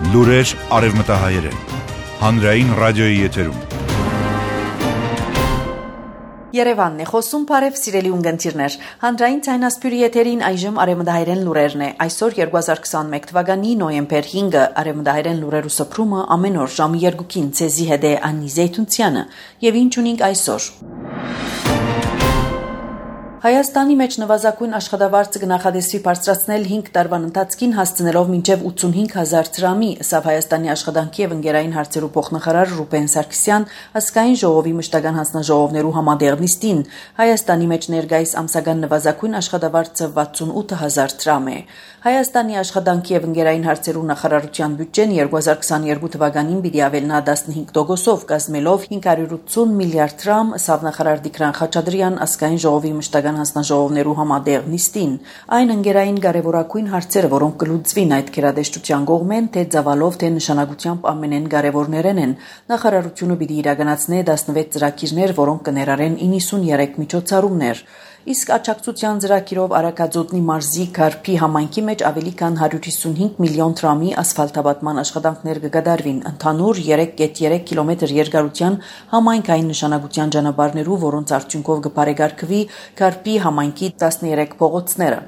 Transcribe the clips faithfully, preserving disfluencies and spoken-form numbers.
Լուրեր արևմտահայերեն, հանրային ռադիոյի եթերում։ Երևանն է խոսում, բարև սիրելի ունգընտիրներ։ Հանրային ցայնասպյուրի եթերին այժմ արևմտահայերեն լուրերն է։ Այսօր երկու հազար քսաներկու թվականի նոյեմբեր հինգը արևմտահայերեն լուրերու սփռումը ամեն օր ժամը երկուին ցեզի հետ է Անի Զեյթունցյանը։ Եվ ինչ ունենք այսօր։ Հայաստանի մեջ նվազագույն աշխատավարձը կնախադեсվի բարձրացնել հինգ տարվան ընթացքին հասցնելով մինչև ութսունհինգ հազար դրամի, ըստ Հայաստանի աշխատանքի եւ ընկերային հարցերու փոխնախարար Ռուբեն Սարգսյան ազգային ժողովի մշտական հանձնաժողովներու համադեղ նիստին Հայաստանի մեջ ներկայիս ամսական նվազագույն աշխատավարձը վաթսունութ հազար դրամ է։ Հայաստանի աշխատանքի եւ ընկերային հարցերու նախարարության բյուջեն երկու հազար քսաներկու թվականին պիտի ավելնա տասնհինգ տոկոսով կազմելով հինգ հարյուր ութսուն միլիարդ դրամ, ըստ նախարար Տիգրան Խաչատրյան ազգային ժողովի մշտական հանձնաժողովներու համադեղ նիստին, այն ընկերային կարևորագույն հարցերը, որոնք կլուծվին այդ գերադեշտության կողմեն, թե ծավալով, թե նշանակությամբ ամենեն կարևորներն են։ Նախարարությունը պիտի իրականացնի տասնվեց ծրագիրներ, որոնք կներառեն իննսունյերեք միջոցառումներ։ Իսկ աջակցության ծրագիրով Արաքածոտնի մարզի Կարփի համայնքի մեջ ավելի քան հարյուր հիսունհինգ միլիոն դրամի ասֆալտաբատման աշխատանքներ կկատարվին ընդհանուր երեք կետ երեք կիլոմետր երկարության համայնքային նշանակության ճանապարհներու, որոնց արդյունքով կբարեկարգվի Կարփի համայնքի տասներեք փողոցները։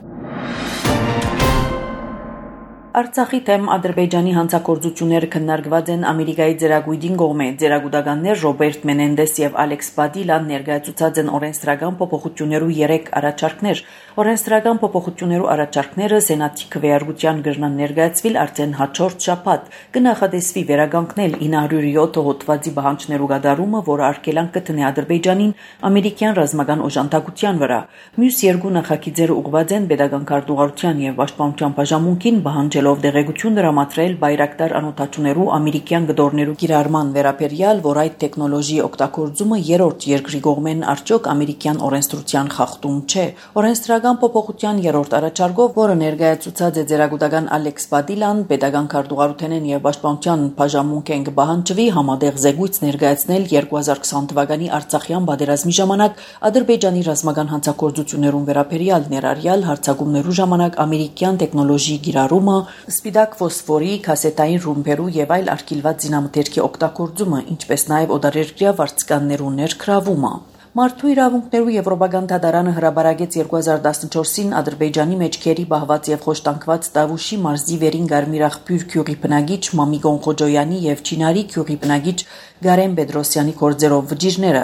Արցախի թեմ Ադրբեջանի հանցագործությունները քննարկված են Ամերիկայի ծերագույդին կողմէ։ Ծերագուտականներ Ռոբերտ Մենենդես եւ Ալեքս Պադիլան ներկայացուցած են օրենսդրական փոփոխություններու երեք առաջարկներ։ Օրենսդրական փոփոխություններու առաջարկները Սենատի քվեարկության գրնան ներկայացվել արդեն հաջորդ շաբաթ։ Կնախադեсվի վերագանքնել ինը հարյուր յոթ հոդվածի բանջներու գդարումը, որը արգելանք կտնի Ադրբեջանին ամերիկյան ռազմական օժանդակության վրա։ Մյուս երկու նախագիծերը ուղղված են պետական քարտուղարության եւ պաշտպանության բաժանմունքին բանջ ով դեղեցություն դրամատրել բայրակտար անօթաչուներու ամերիկյան գդորներու կիրառման վերաբերյալ, որ այդ տեխնոլոգիի օգտագործումը երրորդ երկրի կողմեն արդյոք ամերիկյան օրենսդրության խախտում չէ։ Օրենսդրական փոփոխության երրորդ առաջարկով, որը ներկայացուցած է ծերագուտական Ալեքս Պադիլան, պետական քարտուղարութենեն եւ պաշտպանության բաժանմունքեն կբահանջվի համադեղ զեկույց ներկայացնել երկու հազար քսան թվականի Արցախյան պատերազմի ժամանակ Ադրբեջանի ռազմական հանցագործություններուն վերաբերյալ ներառյալ հարձակումներու ժամանակ ամերիկյան տեխնոլոգիի կիրառումը, սպիտակ ֆոսֆորի, կասետային ռումբերու եւ այլ արգելված զինամթերքի օգտագործումը, ինչպես նաեւ օդարերկրյա վարձկաններու ներգրավումը։ Մարդու իրավունքներու Եվրոպական դատարանը հրաբարագեց երկու հազար տասնչորսին Ադրբեջանի մեջ քերի բահված եւ խոշտանգված Տավուշի մարզի վերին Գարմիրախբյուր քյուղի բնագիչ Մամիկոն Խոջոյանի եւ Չինարի քյուղի բնագիչ Գարեն Պետրոսյանի կորձերով վճիրները։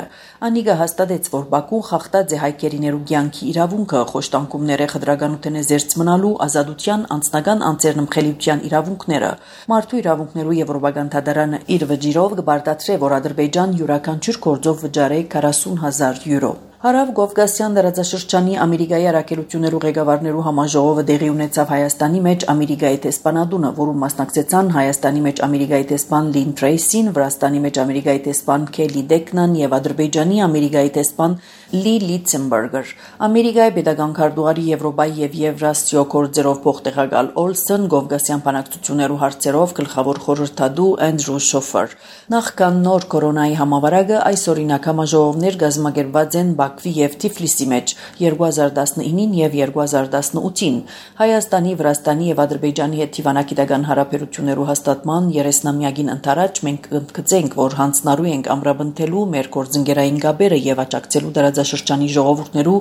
Անիգը հաստատեց, որ Բաքուն խախտած է հայկերիներու կյանքի իրավունքը, խոշտանգումները խտրականութենե զերծ մնալու, ազատության, անձնական անձեռնմխելիության իրավունքները։ Մարդու իրավունքներու Եվրոպական դատարանը իր վճիրով կբարտադրե, որ Ադրբեջան յուրաքանչյուր գործով վճարե քառասուն հազար յուրո։ Հարավ Կովկասյան դարաձաշրջանի Ամերիկայի առաքելություններու ղեկավարներու համաժողովը տեղի ունեցավ Հայաստանի մեջ Ամերիկայի տեսփանադունը, որում մասնակցեցան Հայաստանի մեջ Ամերիկայի տեսփան Լին Տրեյսին, Վրաստանի մեջ Ամերիկայի տեսփան Քելի Դեկնան եւ Ադրբեջանի Ամերիկայի տեսփան Լի Լիցենբերգեր։ Ամերիկայի պետական քարտուղարի Եվրոպայի եւ Եվրասիո կորձերով փոխտեղակալ Օլսոն Կովկասյան բանակցություններու հարցերով գլխավոր խորհրդադու Անդրու Շոֆեր։ Նախքան նոր կորոնայի համավարակը այս օրինակ համաժողովներ կազմակերպված են Բաքվի եւ Թիֆլիսի մեջ երկու հազար տասնինին եւ երկու հազար տասնութին Հայաստանի, Վրաստանի եւ Ադրբեջանի հետ դիվանագիտական հարաբերություններու հաստատման երեսնամյակին ընթരാճ մենք կընդգծենք, որ հանձնարարու ենք ամրապնդելու մեր գործընկերային գաբերը եւ աջակցելու դարաձաշրջանի ժողովուրդներու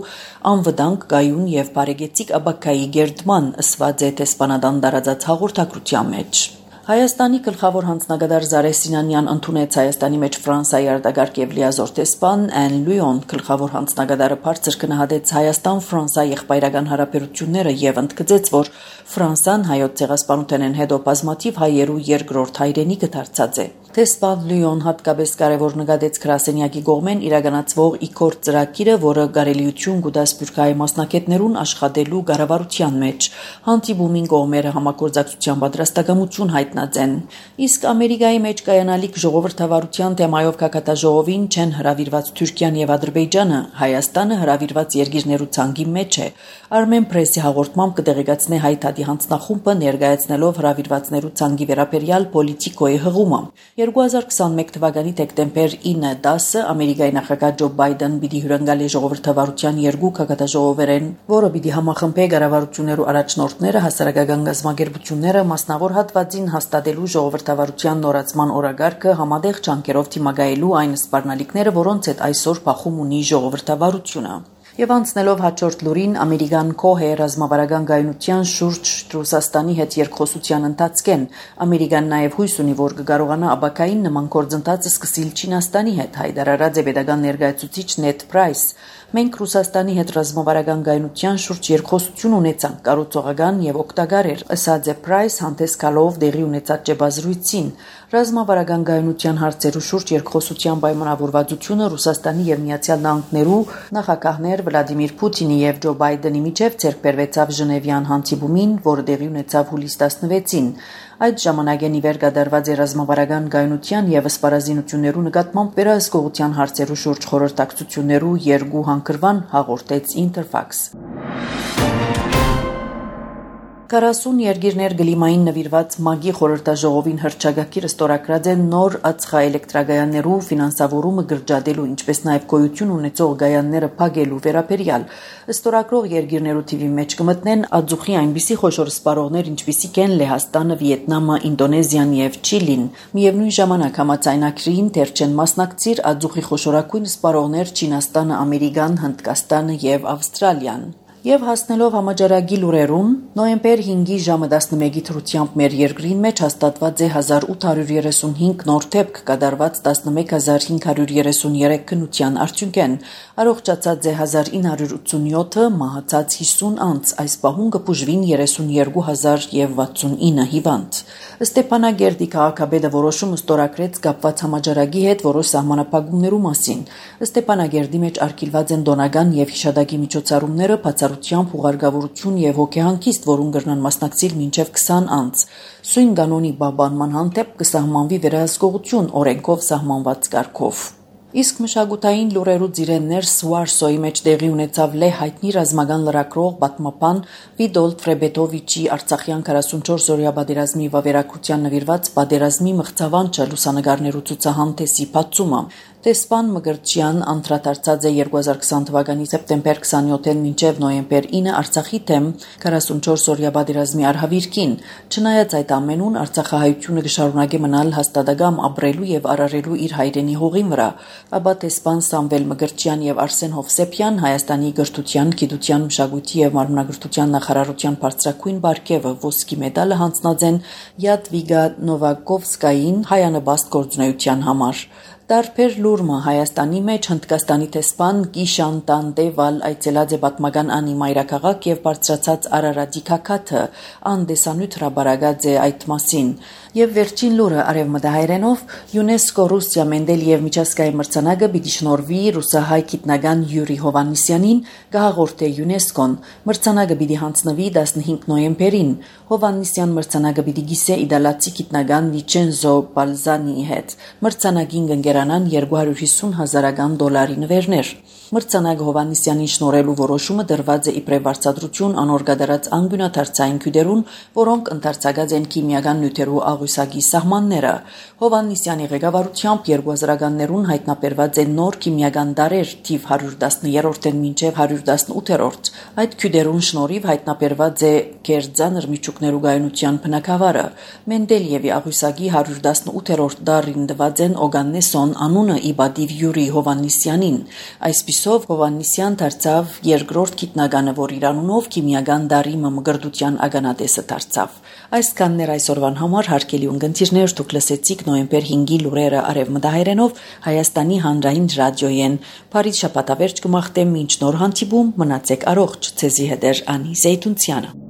անվտանգ, գայուն եւ բարեկեցիկ աբակայի գերդման, ըսված է տեսփանադան դարաձած հաղորդակցության մեջ։ Հայաստանի գլխավոր հանձնագետար Զարե Սինանյան ընդունեց Հայաստանի մեջ Ֆրանսիայի արտագաղթ եւ լիազոր տեսփան Ան Լյուոն գլխավոր հանձնագետարը բարձր գնահատեց Հայաստան-Ֆրանսիա եղբայրական հարաբերությունները եւ ընդգծեց, որ Ֆրանսան հայոց ցեղասպանութենեն հետո բազմաթիվ հայերու երկրորդ հայրենիքը դարձած է։ Տեսփան Լյուոն հատկապես կարևոր նկատեց գրասենյակի կողմեն իրականացվող իքորդ ծրագիրը, որը կարելիություն կտա սփյուռքահայ մասնակիցներուն աշխատելու կառավարության մեջ։ Հանդիպումին կողմերը համագործակցության պատրաստակամություն հայտնած են։ Իսկ Ամերիկայի մեջ կայանալիք ժողովրդավարության թեմայով կակատաժողովին չեն հրավիրված Թուրքիան եւ Ադրբեջանը, Հայաստանը հրավիրված երկիրներու ցանկի մեջ է։ Armen Press-ի հաղորդմամբ կտեղեկացնի հայ թաթի հանձնախումբը ներկայացնելով հրավիրվածներու ցանկի վերաբերյալ պոլիտիկոյի հղումը։ երկու հազար քսաներկու թվականի դեկտեմբեր ինը տասը Ամերիկայի նախագահ Ջո Բայդեն պիտի հյուրընկալի ժողովրդավարության երկու կակատաժողովերեն, որը պիտի համախմբի կառավարություններու առաջնորդները, հասարակական գազམ-ագերբությունները, մասնավոր հատվածին հաստատելու ժողովրդավարության նորացման օրագարկը համատեղ ջանքերով դիմակայելու այն սպառնալիքները, որոնց հետ այսօր բախում ունի ժողովրդավարությունը։ Եվ անցնելով հաջորդ լուրին, ամերիկան Քոհե ռազմավարական գայունության շուրջ Ռուսաստանի հետ երկխոսության ընթացքեն, ամերիկան նաև հույս ունի, որ կկարողանա աբակային նման գործընթացը սկսել Չինաստանի հետ, հայտարարած է պետական ներկայացուցիչ Նեդ Պրայս։ Մենք Ռուսաստանի հետ ռազմավարական գայունության շուրջ երկխոսություն ունեցանք, կառուցողական եւ օգտակար էր, ըսած է Պրայս հանդես գալով դեղի ունեցած ճեպազրույցին։ Ռազմավարական գայունության հարցերու շուրջ երկխոսության պայմանավորվածությունը Ռուսաստանի եւ Միացյալ Նահանգներու նախագահներ Վլադիմիր Պուտինի եւ Ջո Բայդենի միջև ձեռք բերվեցավ Ժնևյան հանդիպումին, որը տեղի ունեցավ հուլիս տասնվեցին։ Այդ ժամանակ ի վեր կատարված է ռազմավարական գայունության եւ սպառազինություններու նկատմամբ վերահսկողության հարցերու շուրջ խորհրդակցություններու երկու հանգրվան, հաղորդեց Interfax։ քառասուն երկիրներ գլիմային նվիրված ՄԱԳ-ի խորհրդաժողովին հռչակագիրը ստորագրած է նոր ածխաէլեկտրագայաններու ֆինանսավորումը գրջադելու, ինչպես նաև գոյություն ունեցող գայանները փակելու վերաբերյալ։ Ստորագրող երկիրներու թիվի մեջ կմտնեն ածուխի այնպիսի խոշոր սպառողներ, ինչպիսիք են Լեհաստանը, Վիետնամը, Ինդոնեզիան եւ Չիլին։ Միևնույն ժամանակ համաձայնագրին դեռ չեն մասնակցիր ածուխի խոշորագույն սպառողներ Չինաստանը, Ամերիկան, Հնդկաստանը եւ Ավստրալիան։ Եվ հասնելով համաճարակի լուրերուն, նոյեմբեր հինգի ժամը տասնմեկի թրությամբ մեր երկրին մեջ հաստատված է հազար ութ հարյուր երեսունհինգ նոր դեպք, կատարված տասնմեկ հազար հինգ հարյուր երեսուներեք քննության արդյունքեն, առողջացած է հազար ինը հարյուր ութսունյոթը, մահացած հիսուն անց, այս պահուն կբուժվին երեսունյերկու հազար վաթսունինը հիվանդ։ Ստեփանագերդի քաղաքապետը որոշումը ստորագրեց կապված համաճարակի հետ որոշ սահմանափակումներու մասին։ Ստեփանագերդի մեջ արգելված են դոնական եւ հիշադակի միջոցառումները, բացառությամբ ուղարկավորություն եւ հոգեհանգիստ, որուն կրնան մասնակցել մինչեւ քսան անց։ Սույն կանոնի պահպանման հանդեպ կսահմանվի վերահսկողություն օրենքով սահմանված կարգով։ Իսկ մշակութային լուրերու ծիրեններ Սվարսոյի մեջ տեղի ունեցավ լե հայտնի ռազմական լրագրող պատմապան Վիտոլդ Ֆրեբետովիչի Արցախյան քառասունչորս օրյա պատերազմի վավերագրության նվիրված պատերազմի մղձավանջը լուսանկարներու ցուցահանդեսի բացումը։ Տեսփան Մգրտչյան անդրադարձած է երկու հազար քսան թվականի սեպտեմբեր քսանյոթին մինչև նոյեմբեր ինը Արցախի թեմ քառասունչորս օրյա պատերազմի արհավիրքին։ Չնայած այդ ամենուն Արցախահայությունը կշարունակի մնալ հաստատակամ ապրելու եւ արարելու իր հայրենի հողին վրա, ապա տեսփան Սամվել Մգրտչյան եւ Արսեն Հովսեփյան Հայաստանի գրթության, գիտության, մշակույթի եւ մարմնագրթության նախարարության բարձրակույն բարգեւը ոսկի մեդալը հանձնած են Յադվիգա Նովակովսկային հայանպաստ գործունեության համար։ Տարբեր լուրմը Հայաստանի մեջ Հնդկաստանի տեսփան Կիշան Տանդեվալ այցելած է պատմական անի մայրաքաղաք եւ բարձրացած Արարատի քաքաթը անդեսանույթ հրաբարագած է այդ մասին։ Եվ վերջին լուրը արևմտահայերենով ՅՈՒՆԵՍԿՕ Ռուսիա Մենդելիև միջազգային մրցանակը պիտի շնորհվի ռուսահայ գիտնական Յուրի Հովհաննիսյանին, կհաղորդե ՅՈՒՆԵՍԿՕ-ն։ Մրցանակը պիտի հանձնվի տասնհինգ նոյեմբերին։ Հովհաննիսյան մրցանակը պիտի գիսե իդալացի գիտնական Վիչենզո Բալզանիի հետ։ Մրցանակին կընկերանան երկու հարյուր հիսուն հազարական դոլարի նվերներ։ Մրցանակ Հովհաննիսյանին շնորհելու որոշումը դրված է իբրև վարձատրություն անոր կատարած անգյունաթարցային քույդերուն, որոնք ընդարձակած են քիմիական նյութերու աղյուսակի սահմանները։ Հովհաննիսյանի ղեկավարությամբ երկու հազարականներուն հայտնաբերված են նոր քիմիական դարեր թիվ հարյուր տասներորդեն մինչև հարյուր տասնութերորդ։ Այդ քույդերուն շնորհիվ հայտնաբերված է Գերձանր միջուկներու գայունության բնակավարը։ Մենդելիևի աղյուսակի հարյուր տասնութերորդ դարին դված են Օգաննեսոն անունը իբադիվ Յուրի Հովհաննիսյանին։ Այսպիսով Հովհաննիսյան դարձավ երկրորդ գիտնականը, որ իր անունով քիմիական դարի մմգրդության ականատեսը դարձավ։ Այսքանն էր այսօրվան համար, հարգելի ունկնդիրներ, դուք լսեցիք նոյեմբեր հինգի լուրերը արևմտահայերենով Հայաստանի հանրային ռադիոյեն։ Փարիզ շաբաթավերջ կմաղթեմ մինչ նոր հանդիպում, մնացեք առողջ, ցեզի հետ է Անի Զեյթունցյանը։